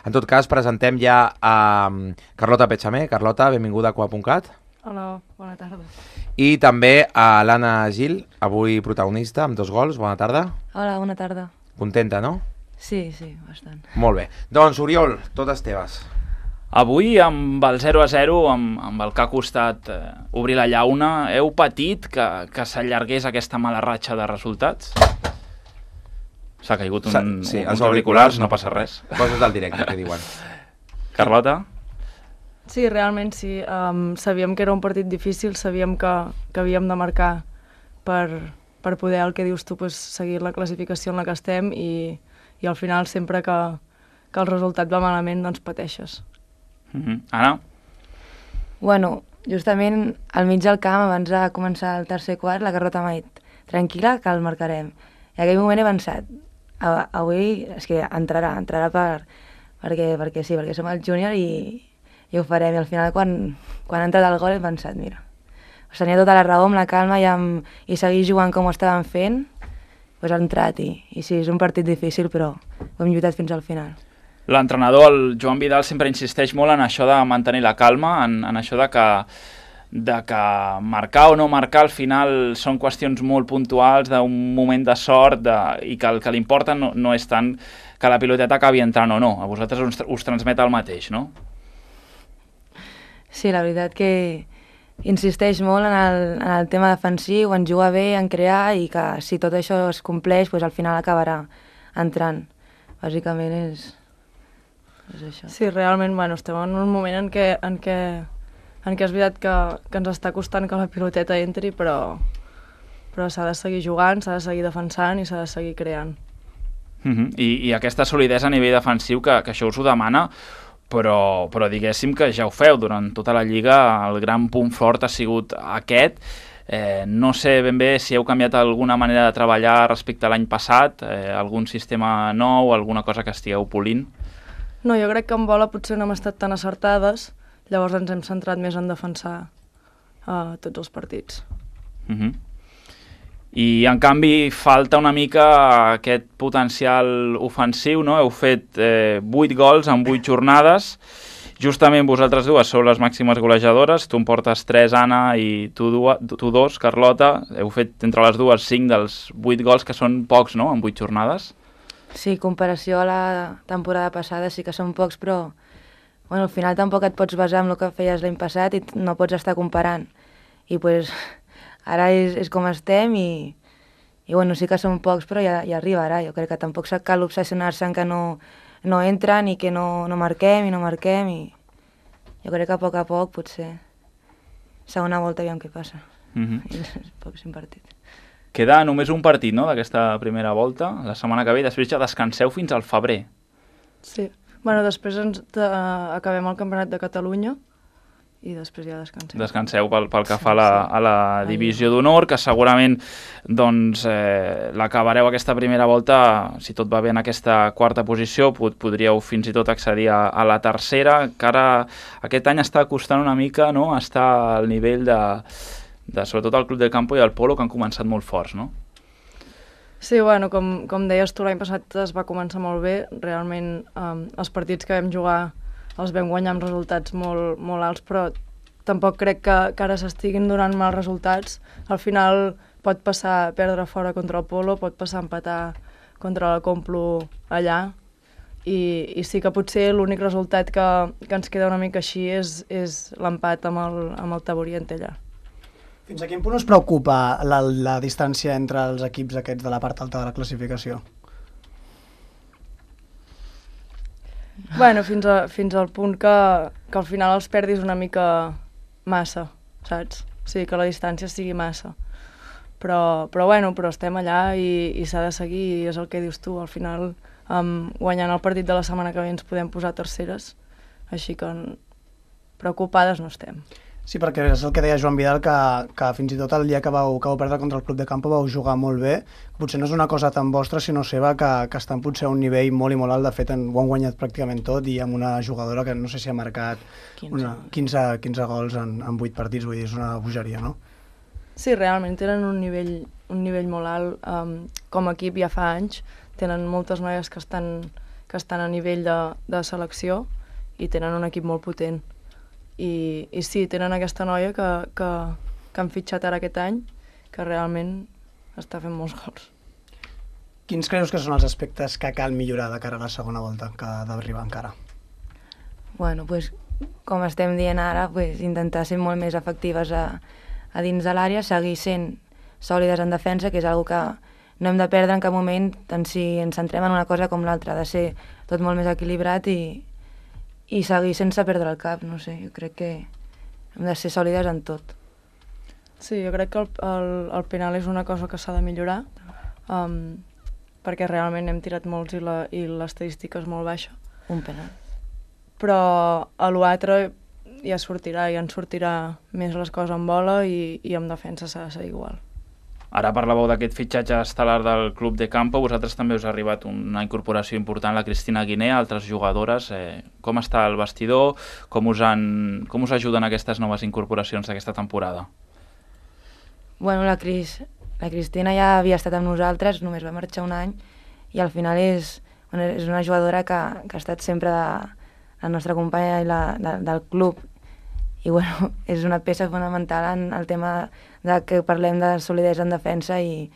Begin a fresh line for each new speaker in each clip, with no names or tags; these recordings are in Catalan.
En tot cas, presentem ja a Carlota Petxamer. Carlota, benvinguda a Coa.cat.
Hola, bona tarda.
I també a l'Anna Gil, avui protagonista, amb 2 gols. Bona tarda.
Hola, bona tarda.
Contenta, no?
Sí, bastant.
Molt bé. Doncs, Oriol, totes teves.
Avui, amb el 0-0, amb el que ha costat obrir la llauna, heu patit que s'allargués aquesta mala ratxa de resultats? S'ha caigut uns auriculars, no passa res.
Coses del directe, que diuen.
Carlota?
Sí, realment sí. Sabíem que era un partit difícil, sabíem que havíem de marcar per poder, el que dius tu, seguir la classificació en la que estem i al final sempre que el resultat va malament, doncs pateixes.
Anna?
Bueno, justament al mig del camp, abans de començar el tercer quart, la Carlota m'ha dit tranquil·la, que el marcarem. I en aquell moment he pensat, avui és que entrarà perquè sí, perquè som el júnior i ho farem. I al final, quan ha entrat el gol, he pensat, mira, tenia tota la raó, amb la calma i seguir jugant com ho estàvem fent, doncs ha entrat i sí, és un partit difícil, però ho hem lluitat fins al final.
L'entrenador, el Joan Vidal, sempre insisteix molt en això de mantenir la calma, en això de que marcar o no marcar al final són qüestions molt puntuals d'un moment de sort i que el que li importa no és tant que la piloteta acabi entrant o no. A vosaltres us transmet el mateix, no?
Sí, la veritat que insisteix molt en el tema defensiu, en jugar bé, en crear, i que si tot això es compleix, doncs al final acabarà entrant. Bàsicament és això.
Sí, realment, estem en un moment en què és veritat que ens està costant que la piloteta entri, però s'ha de seguir jugant, s'ha de seguir defensant i s'ha de seguir creant.
I aquesta solidesa a nivell defensiu, que això us ho demana, però diguéssim que ja ho feu durant tota la Lliga, el gran punt fort ha sigut aquest. No sé ben bé si heu canviat alguna manera de treballar respecte a l'any passat, algun sistema nou, alguna cosa que estigueu polint.
No, jo crec que en bola potser no hem estat tan acertades, llavors ens hem centrat més en defensar tots els partits.
I en canvi falta una mica aquest potencial ofensiu, no? Heu fet 8 gols en 8 jornades, justament vosaltres dues sou les màximes golejadores, tu en portes 3, Anna, i tu 2, Carlota. Heu fet entre les dues 5 dels 8 gols, que són pocs, no?, en 8 jornades.
Sí, en comparació a la temporada passada sí que són pocs, però al final tampoc et pots basar en el que feies l'any passat i no pots estar comparant. I ara és com estem i sí que són pocs, però ja arribarà. Jo crec que tampoc cal obsessionar-se en que no entren i que no marquem i no marquem. I jo crec que a poc potser segona volta aviam què passa. I poc sin partit.
Queda només un partit, no?, d'aquesta primera volta, la setmana que ve, després ja descanseu fins al febrer.
Sí, després acabem el Campionat de Catalunya i després ja descansem.
Descanseu pel que fa a la divisió d'honor, que segurament l'acabareu aquesta primera volta, si tot va bé en aquesta quarta posició, podríeu fins i tot accedir a la tercera, que ara aquest any està costant una mica, no?, estar al nivell de sobretot el Club del Campo i el Polo, que han començat molt forts, no?
Sí, com deies tu, l'any passat es va començar molt bé. Realment els partits que vam jugar els vam guanyar amb resultats molt, molt alts, però tampoc crec que ara s'estiguin donant mals resultats. Al final pot passar perdre fora contra el Polo, pot passar empatar contra la Complu allà, i sí que potser l'únic resultat que ens queda una mica així és l'empat amb el Taboriente allà.
Fins a quin punt us preocupa la distància entre els equips aquests de la part alta de la classificació?
Fins al punt que al final els perdis una mica massa, saps? O sigui, que la distància sigui massa. Però estem allà i s'ha de seguir, i és el que dius tu. Al final, guanyant el partit de la setmana que ve ens podem posar terceres, així que preocupades no estem.
Sí, perquè és el que deia Joan Vidal, que fins i tot el dia que vau perdre contra el Club de Campo vau jugar molt bé. Potser no és una cosa tan vostra, sinó seva, que estan potser a un nivell molt i molt alt. De fet, ho han guanyat pràcticament tot, i amb una jugadora que no sé si ha marcat 15 gols en 8 partits, vull dir, és una bogeria, no?
Sí, realment tenen un nivell molt alt. Com a equip ja fa anys, tenen moltes noies que estan que estan a nivell de selecció i tenen un equip molt potent. I sí, tenen aquesta noia que han fitxat ara aquest any, que realment està fent molts gols.
Quins creus que són els aspectes que cal millorar de cara a la segona volta, que ha d'arribar encara?
Bueno, pues, com estem dient ara, pues, intentar ser molt més efectives a dins de l'àrea, seguir sent sòlides en defensa, que és una que no hem de perdre en cap moment, tant si ens centrem en una cosa com l'altra, ha de ser tot molt més equilibrat i seguir sense perdre el cap, no sé, jo crec que hem de ser sòlides en tot.
Sí, jo crec que el penal és una cosa que s'ha de millorar, perquè realment hem tirat molts i l'estadística és molt baixa.
Un penal.
Però a l'altre ja sortirà, ja ens sortirà més les coses en bola i en defensa s'ha de ser igual.
Ara parlàveu d'aquest fitxatge estel·lar del Club de Campo, vosaltres també us ha arribat una incorporació important, la Cristina Guiné, altres jugadores. Com està el vestidor? Com us ajuden aquestes noves incorporacions d'aquesta temporada?
Bueno, la Cristina ja havia estat amb nosaltres, només va marxar un any, i al final és una jugadora que ha estat sempre la nostra companya del club. I bueno, és una peça fonamental en el tema de que parlem de solidesa en defensa i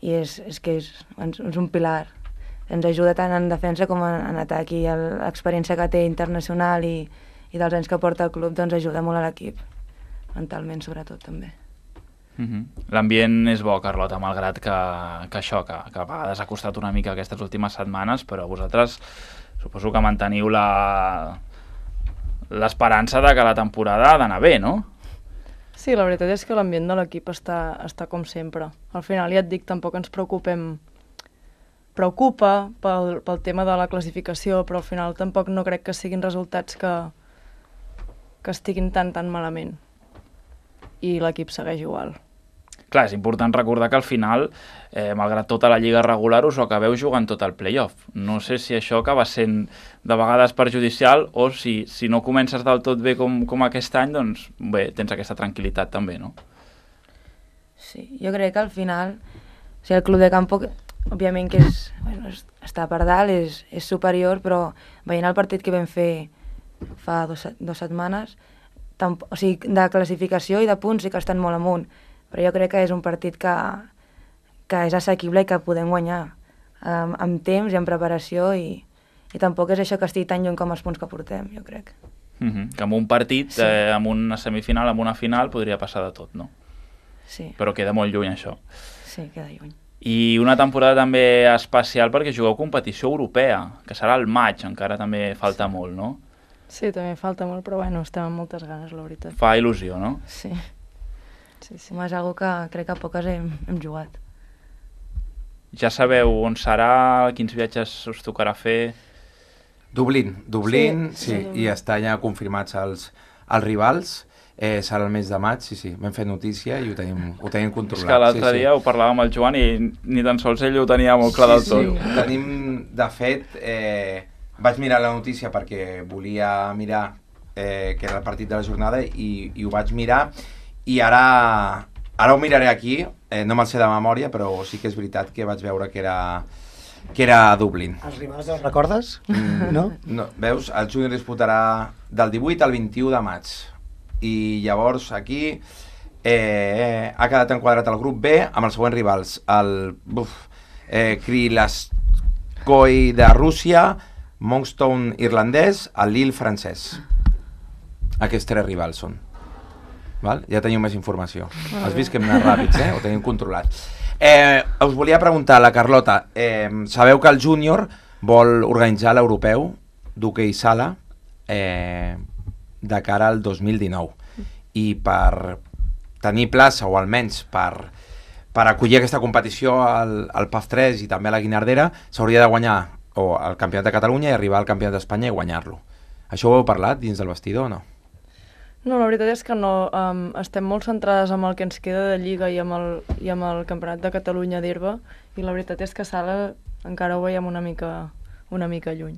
és un pilar. Ens ajuda tant en defensa com en atac i l'experiència que té internacional i dels anys que porta el club doncs ajuda molt a l'equip, mentalment sobretot també.
L'ambient és bo, Carlota, malgrat que a vegades ha costat una mica aquestes últimes setmanes, però vosaltres suposo que manteniu l'esperança de que la temporada ha d'anar bé, no?
Sí, la veritat és que l'ambient de l'equip està com sempre. Al final, ja et dic, tampoc ens preocupem. Preocupa pel tema de la classificació, però al final tampoc no crec que siguin resultats que estiguin tan malament. I l'equip segueix igual.
Clar, és important recordar que al final, malgrat tota la lliga regular, us ho acabeu jugant tot el play-off. No sé si això acaba sent de vegades perjudicial o si no comences del tot bé com aquest any, doncs bé, tens aquesta tranquil·litat també, no?
Sí, jo crec que al final, o sigui, el Club de Campo, òbviament que està per dalt, és superior, però veient el partit que vam fer fa dues setmanes, o sigui, de classificació i de punts sí que estan molt amunt, però jo crec que és un partit que és assequible i que podem guanyar amb temps i amb preparació i tampoc és això que estigui tan lluny com els punts que portem, jo crec.
Que amb un partit, sí. Amb una semifinal, amb una final, podria passar de tot, no?
Sí.
Però queda molt lluny, això.
Sí, queda lluny.
I una temporada també especial perquè jugueu competició europea, que serà al maig, encara també falta molt, no?
Sí, també falta molt, però bueno, estem amb moltes ganes, la veritat.
Fa il·lusió, no?
Sí. És algo que crec que poques hem jugat.
Ja sabeu on serà, quins viatges us tocarà fer?
Dublín, sí, i està ja confirmats els rivals. Serà el mes de maig, sí, vam fer notícia i ho tenim controlat.
És que l'altre dia ho parlàvem amb el Joan i ni tan sols ell ho tenia molt clar del tot.
Sí, tenim, de fet, vaig mirar la notícia perquè volia mirar que era el partit de la jornada i ho vaig mirar i ara ho miraré aquí, no me'l sé de memòria, però sí que és veritat que vaig veure que era a Dublín.
Els rivals els recordes? No?
Veus, el júnior disputarà del 18 al 21 de maig. I llavors aquí ha quedat enquadrat el grup B amb els següents rivals. El Krylaskoi de Rússia, Monkstown irlandès, el Lille francès. Aquests 3 rivals són. Val? Ja teniu més informació. Has vist que hem anat ràpids, ho tenim controlat. Us volia preguntar, la Carlota, sabeu que el júnior vol organitzar l'europeu d'hoquei sala de cara al 2019 i per tenir plaça o almenys per acollir aquesta competició al PAF 3 i també a la Guinardera s'hauria de guanyar el Campionat de Catalunya i arribar al Campionat d'Espanya i guanyar-lo. Això ho heu parlat dins del vestidor o no?
No, la veritat és que no. Estem molt centrades en el que ens queda de Lliga i amb el Campionat de Catalunya d'herba i la veritat és que sala encara ho veiem una mica lluny.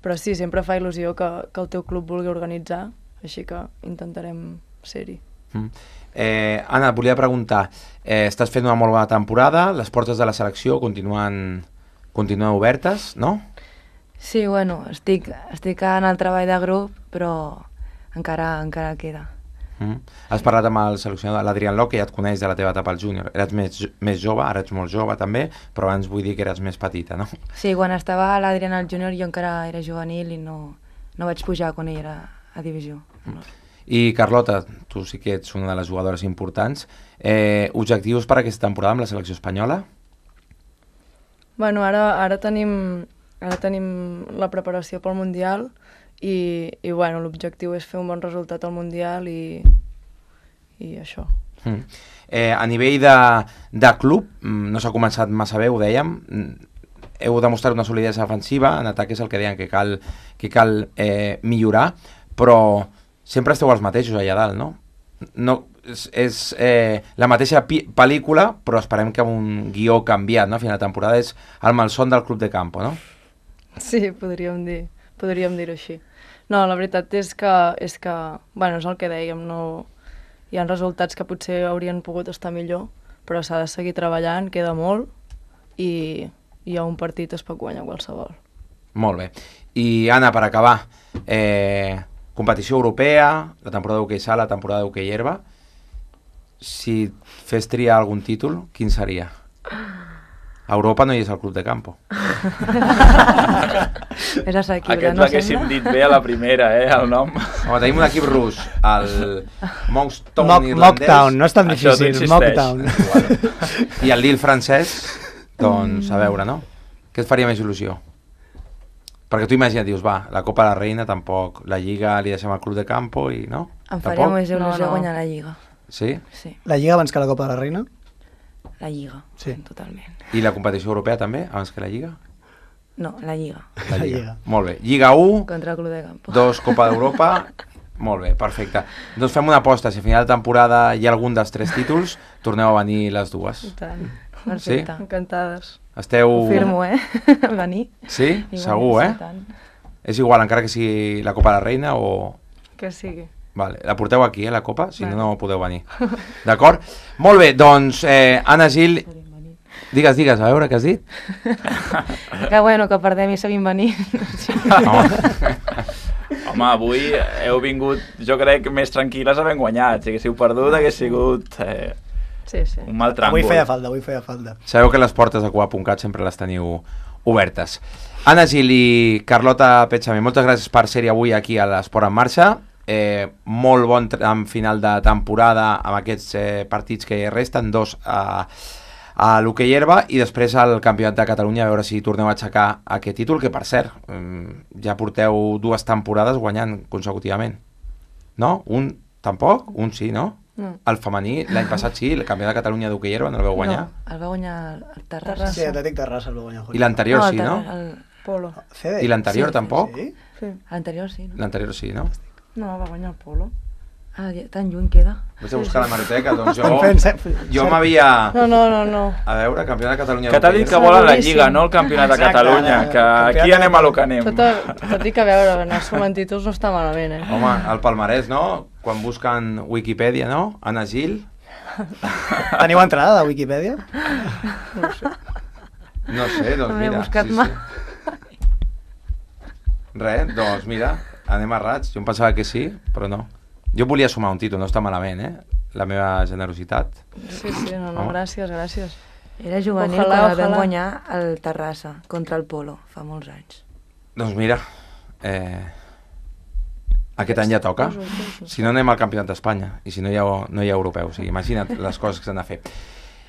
Però sí, sempre fa il·lusió que el teu club vulgui organitzar, així que intentarem ser-hi.
Anna, et volia preguntar, estàs fent una molt bona temporada, les portes de la selecció continuen obertes, no?
Sí, bueno, estic en el treball de grup, però encara queda.
Has parlat amb el seleccionador, l'Adrián Ló, que ja et coneix de la teva etapa al júnior. Eres més jove, ara ets molt jove també, però abans vull dir que eres més petita, no?
Sí, quan estava a l'Adrián al júnior jo encara era juvenil i no vaig pujar quan ell era a divisió.
I Carlota, tu sí que ets una de les jugadores importants. Objectius per aquesta temporada amb la selecció espanyola?
Bueno, ara tenim la preparació pel Mundial i bueno, l'objectiu és fer un bon resultat al Mundial i això.
A nivell de club, no s'ha començat massa bé, ho dèiem, heu demostrat una solidesa defensiva, en atac és el que deien que cal millorar, però sempre esteu els mateixos allà dalt, no? És la mateixa pel·lícula, però esperem que amb un guió canviat, no? A final de temporada és el malson del club de campo, no?
Sí, podríem dir-ho així. No, la veritat és que bueno, és el que dèiem, no, hi ha resultats que potser haurien pogut estar millor, però s'ha de seguir treballant, queda molt, i a un partit es pot guanyar qualsevol.
Molt bé. I Anna, per acabar, competició europea, la temporada d'hoquei sala, la temporada d'hoquei herba, si fes triar algun títol, quin seria? A Europa no hi és el club de campo.
És assequible,
Aquest
no
l'haguéssim
sembla?
dit bé a la primera, el nom.
Home, tenim un equip rus, el Monkstown irlandès.
Mocktown, no és tan
Això t'ho
difícil,
insisteix.
Mocktown.
I el Lille francès, doncs, a veure, no? Què et faria més il·lusió? Perquè tu imagina't, dius, va, la Copa de la Reina tampoc, la Lliga li deixem al club de campo i no?
Em faria
Tampoc?
més il·lusió
No.
guanyar la Lliga.
Sí?
Sí,
La Lliga abans que la Copa de la Reina?
la Lliga,
Sí.
totalment.
I la competició europea també, abans que la Lliga?
No, la Lliga,
La
La
Lliga.
Lliga.
Molt bé. Lliga 1,
contra el Club de Campo.
2 Copa d'Europa. Molt bé, perfecte. Doncs fem una aposta, si a final de temporada hi ha algun dels 3 títols, torneu a venir les dues.
I tant.
Perfecte.
Encantades.
Esteu...
Ho firmo, venir.
Sí?
I
Segur,
guanyar,
eh?
sí, tant.
És igual, encara que sigui la Copa de la Reina o...
Que sigui.
Vale, la porteu aquí, la Copa? Si
Vale.
no, no podeu venir. D'acord? Molt bé, doncs, Anna Gil... Digues, a veure, què has dit?
Que bueno, que perdem i seguim venint. Sí.
Home, avui heu vingut, jo crec, més tranquil·les havent guanyat. Si haguéssiu perdut, hagués sigut
Sí.
un mal tràngol.
Avui feia falta.
Sabeu que les portes de Cuba.cat sempre les teniu obertes. Anna Gil i Carlota Petxamé, moltes gràcies per ser-hi avui aquí a l'Esport en Marxa. Molt bon tram final de temporada amb aquests partits que resten, 2 a l'hoquei herba i després al Campionat de Catalunya, a veure si torneu a aixecar aquest títol, que per cert, ja porteu 2 temporades guanyant consecutivament. No? Un tampoc? Un sí, no?
No.
El femení, l'any passat sí, el Campionat de Catalunya d'hoquei herba no el vau guanyar.
No, el va guanyar el Terrassa.
Sí, Atlètic Terrassa el va guanyar.
I l'anterior sí,
el
no?
Polo.
CDI.
I l'anterior
Sí,
tampoc?
Sí?
Sí.
L'anterior sí, no?
L'anterior sí, no?
No, va guanyar el Polo.
Ah, tan lluny queda.
Vaig a buscar la hemeroteca, doncs jo
Jo
m'havia...
No.
A veure, Campionat de Catalunya
Que t'ha dit que
d'hoquei
volen la
Boníssim.
Lliga, no el Campionat de
Exacte,
Catalunya, que
campionat
aquí
de
anem a lo que anem.
Tot dic a veure, anar sumant títols no està malament,
Home, el palmarès, no? Quan busquen Wikipedia, no? Anna Gil...
Teniu entrada de Wikipedia?
No sé, doncs
No l'he
mira...
buscat mai.
Res, doncs mira, anem a rats. Jo em pensava que sí, però no. Jo volia sumar un títol, no està malament, la meva generositat.
Sí, no,
Home.
gràcies.
Era juvenil
Ojalà,
quan el vam
ojalà.
guanyar el Terrassa contra el Polo, fa molts anys.
Doncs mira, aquest any ja toca. Si no anem al Campionat d'Espanya i si no hi ha europeu, o sigui, imagina't les coses que s'han de fer.